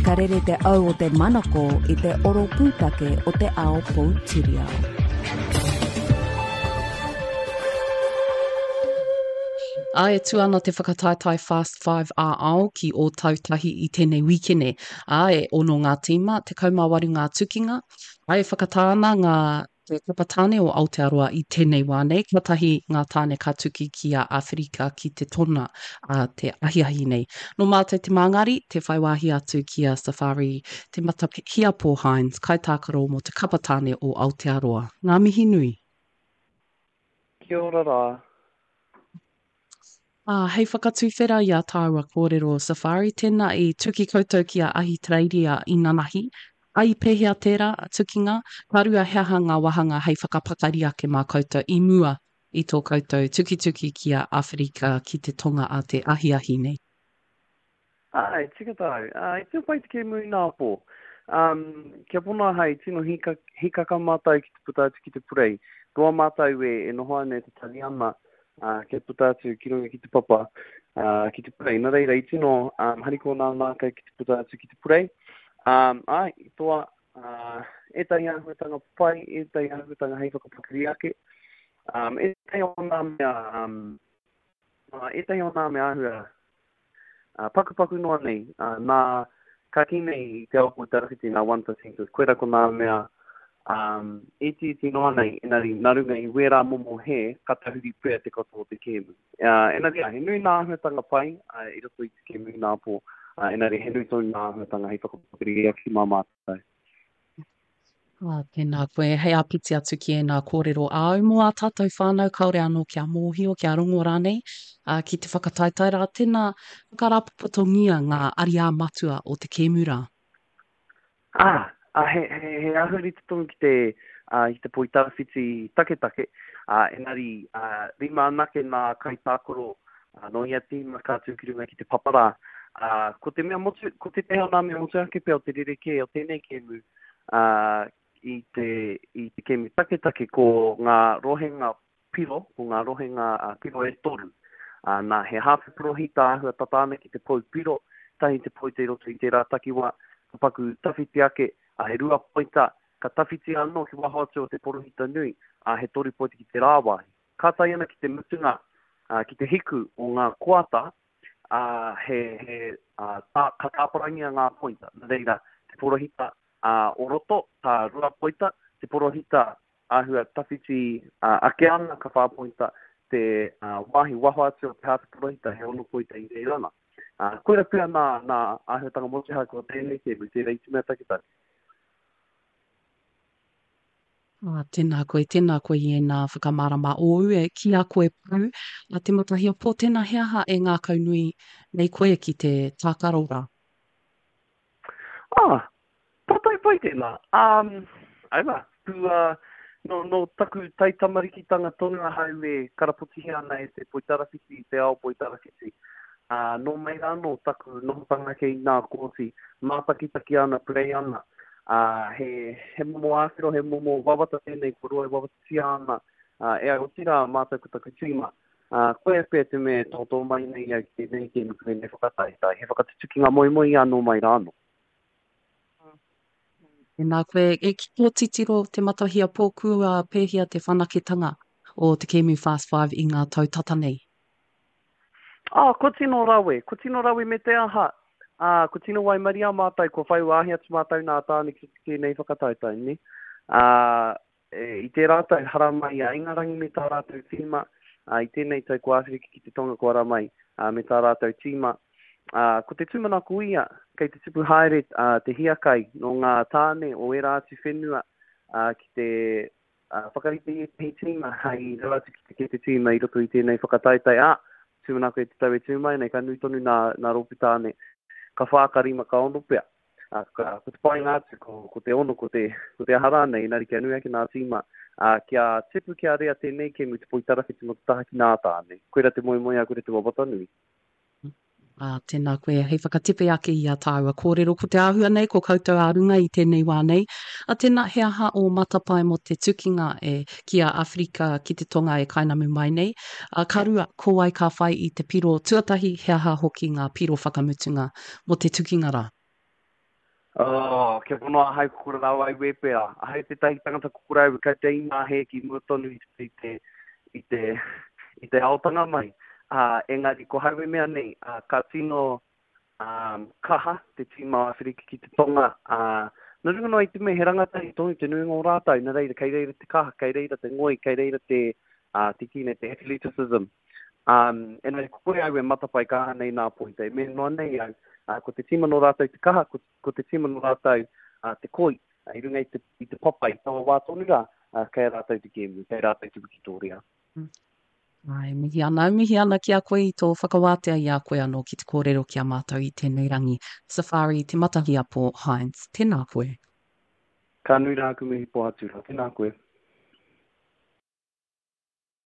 Ka rere te au o te manako i te oro pūtake o te ao poutiriao. Ā, e tū ana te whakataetae Fast Five ā-ao ki Ōtautahi i tēnei wīkene. Ā, e ono ngā tīma, 18 ngā tukinga, ā, e whakatā ana ngā Te kapa tāne o Aotearoa i tēnei wā nei, kātahi ngā tāne ka tuki ki a Āwherika ki te tona a te ahiahi nei. Nō mātou te māngari, te whai wāhi atu ki a Safari Te Matahiapo Hines, kaitākaro mō te kapa tāne o Aotearoa. Ngā mihi nui. Kia ora rā. Ā, hei whakatuwhera i ā tāua kōrero Safari, tēnā i tuki koutou ki a Ahitereiria inanahi, ā, i pēhea tērā tukinga? Ka rua, he aha ngā wāhanga hei whakapakari ake mā koutou i mua i tō koutou tukituki ki a Āwherika ki te Tonga a te ahiahi nei? Āe, tika tāu. Ā, i tino pai te kēmu ināpō. Um, kia pono ahau, i tino hika, hikaka mātou ki te puta atu ki te purei. Roa mātou e, e noho ana e tatari ana, ā, kia puta atu ki runga ki te papa, ā, ki te purei. Nā reira, i tino um, harikoa nā mātou ki te puta atu ki te purei. Um, āe, i toa, ā, ētahi āhuatanga pai, ētahi āhuatanga hei whakapakari ake. Um, ētahi o nā mea, um, ētahi o nā mea āhua Pakupaku noa nei, nā, ka kī nei i te ao poitarawhiti nā One Percenters, koira ko nā mea itiiti noa nei, engari nā runga i wērā momo hē, ka tahuri pea te katoa o te kēmu. Engari, he nui nā āhuatanga pai i roto i te kēmu ināpō, engari he nui tonu nā āhuatanga hei whakapakari ake mā mātou. Ā, tēnā koe. Hei āpiti atu ki ēnā kōrero āu mō ā tātou whānau kāore anō kia mōhio, kia rongo rānei, ā, ki te whakataetae rā, tēnā, whakarāpopotongia ngā ariā matua o te kēmu rā. Ā, ā, he, he, he āhua rite tonu ki te, ā, ki te poitarawhiti taketake, ā, engari, ā, rima anake nā kaitākaro, ā, nō ia tīma ka tū ki runga ki te papa rā. Ā, ko te mea motu, ko tētahi o nā mea motuhake pea o te rerekē o tēnei kēmu, ā, i te, i te kēmu taketake ko ngā rohenga piro, ko ngā rohenga piro e toru. Ā, nā, he hāwhe porohita āhua tata ana ki te pou piro, tahi te poita i roto i tērā takiwā, ka paku tawhiti ake, ā, he rua poita, ka tawhiti anō ki waho atu o te porohita nui, ā, he toru poita ki te rāwāhi. Ka tae ana ki te mutunga, ā, ki te hiku o ngā koata, ā, he, he, ā, tā, ka tāparangia ngā poita. Nā reira, te porohita, ā, o roto, ka rua poita, te porohita āhua tawhiti, ā, ake ana, ka whā poita, te, ā, wāhi waho atu o te hāte porohita, he ono poita i reira ana. Ā, koira pea nā, nā āhuatanga motuhake o tēnei kēmu, tērā i te mea taketake. Ā, tēnā koe, tēnā koe i ēnā whakamārama ōu e ki a koe pū, a Te Matahiapo, tēnā he aha e ngākaunui nei koe ki te tākaro rā? Ā, pātai pai tēnā. Ā, aua, kua, nō, nō taku taitamarikitanga tonu ahau e karapotihia ana e te poitarawhiti, te ao poitarawhiti. Ā, nō mai rā anō taku nohotanga ake i nā kōti, mātakitaki ana, purei ana. Ā, he, he momo āwhero, he momo wawata tēnei kua roa e wawatatia ana ā, e au, otirā mātou ko taku tīma. Ā, koia pea te mea e tōtō mai nei au ki tēnei kēmu ki tēnei whakataetae, he whakatutukinga moemoeā nō mai rā anō. Tēnā koe, e ki tō titiro Te Matahiapō kua pēhea te whanaketanga o te kēmu Fast Five i ngā tau tata nei? Ā, kua tino rawe, kua tino rawe me te aha, ā, kua tino waimaria mātou, kua whai wāhi atu mātou nā Tāne ki tēnei whakataetae, nē. Ā, i tērā tau haramai a Ingarangi me tā rātou tīma, ā, i tēnei tau ko Āwherika ki te Tonga kua haramai, ā, me tā rātou tīma. Ā, ko te tūmanako ia, kei te tupu haere, ā, te hiakai nō ngā tāne o ērā atu whenua, ā, ki te Ā, whakarite i ētahi tīma hei rau atu ki te kete tīma i roto i tēnei whakataetae, ā, tūmanako e te tau e tū mai nei, ka nui tonu nā, nā rōpū tāne, ka whā, ka rima, ka ono pea. Ā, ka, ko te painga atu, ko, ko te ono, ko te, ko te aha rānei, engari kia nui ake nā tīma, ā, kia tipu, kia rea tēnei kēmu te poitarawhiti mō te taha ki nā tāne. Koira te moemoeā, koira te wawata nui. Ā, tēnā koe, hei whakatepe ake i a tāua kōrero, ko te āhua nei, ko koutou ā runga i tēnei wā nei. Ā, tēnā, he aha ō matapae mō te tukinga e, ki a Awherika ki te Tonga e kainamu mai nei? Ā, ka rua, ko wai ka whai i te piro tuatahi, he aha hoki ngā piro whakamutunga mō te tukinga rā? Oh, kia pono ahau ko kore rawa au e pera. Ahau tētahi tangata ko kore au e kaute i ngā hē ki mua tonu i te, i te, i te, i te aotanga mai. Uh, engari, ko hau e mea nei, uh, ka tino um, kaha te tīma o Awherika ki te Tonga. Uh, nā runga noa i te mea he rangatahi tonu te nuinga o rātou, nā reira, kei reira te kaha, kei reira te ngoi, kei reira te, uh, te kī nei, te athleticism. Um, engari ko kore au e matapae kaha nei nā poita, e mea noa nei au, uh, ko te tīma nō rātou te kaha, ko, ko te tīma nō rātou uh, te koi, uh, i runga i te, i te papa, i taua wā tonu rā, uh, kei a rātou te kēmu, kei a rātou te wikitōria. Mm. Ai, mihi ana, mihi ana ki a koe i tō whakawātea i a koe anō ki te kōrero ki a mātou i tēnei rangi. Safari Te Matahiapo Hines, tēnā koe. Ka nui rā aku mihi Pohatu rā, tēnā koe.